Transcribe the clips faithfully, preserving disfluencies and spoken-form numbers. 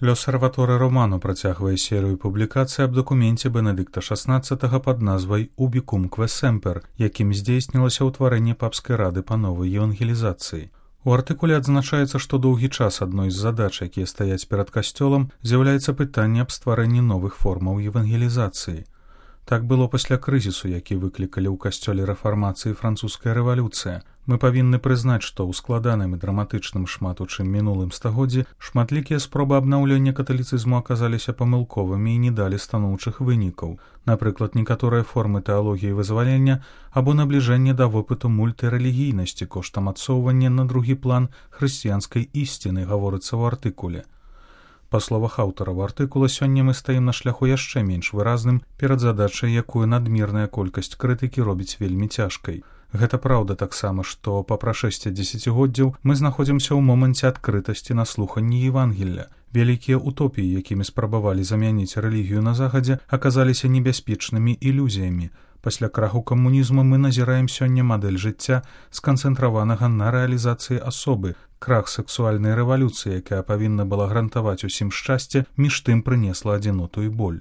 L'Osservatore Romano працягвае серыю публікацый аб дакуменце Бенедыкта шаснаццатага пад назвай «Ubicumque semper», якім здзейснілася ўтварэнне папскай рады па новай евангелізацыі. У артыкуле адзначаецца, што доўгі час адной з задач, якія стаяць перад касцёлам, з'яўляецца пытанне аб стварэнні новых формаў евангелізацыі. Так было пасля крызісу, які выклікалі ў касцёле рэфармацыі французская рэвалюцыя. Мы павінны прызнаць, што ў складаным і драматычным шмат у чым мінулым стагоддзі шматлікія спробы абнаўлення каталіцызму аказаліся памылковымі і не далі станоўчых вынікаў. Напрыклад, некаторыя формы тэалогіі вызвалення або набліжэння да вопыту мультырэлігійнасці коштам адсоўвання на другі план хрысціянскай ісціны, гаворыцца ў артыкуле. Па словах аўтараў артыкула, сёння мы стаім на шляху яшчэ менш выразным перад задачай, якую надмерная колькасць крытыкі робіць вельмі цяжкай. Гэта праўда таксама, што па прашэсці дзесяцігоддзяў мы знаходзімся ў моманце адкрытасці на слуханні Евангелля. Вялікія утопіі, якімі спрабавалі замяніць рэлігію на захадзе, аказаліся небяспечнымі ілюзіямі. Пасля краху камунізму мы назіраем сёння мадэль жыцця, сканцэнтраванага на рэалізацыі асобы, крах сэксуальнай рэвалюцыі, якая павінна была гарантаваць усім шчасце, між тым прынесла адзіноту і боль.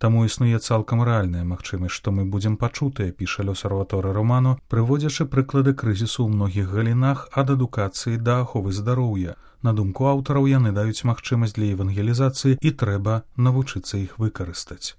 Таму існуе цалкам рэальная магчымасць, што мы будзем пачутыя, піша L'Osservatore Romano, прыводзячы прыклады крызісу ў многіх галінах ад адукацыі да аховы здароўя. На думку аўтараў, яны даюць магчымасць для евангелізацыі і трэба навучыцца іх выкарыстаць.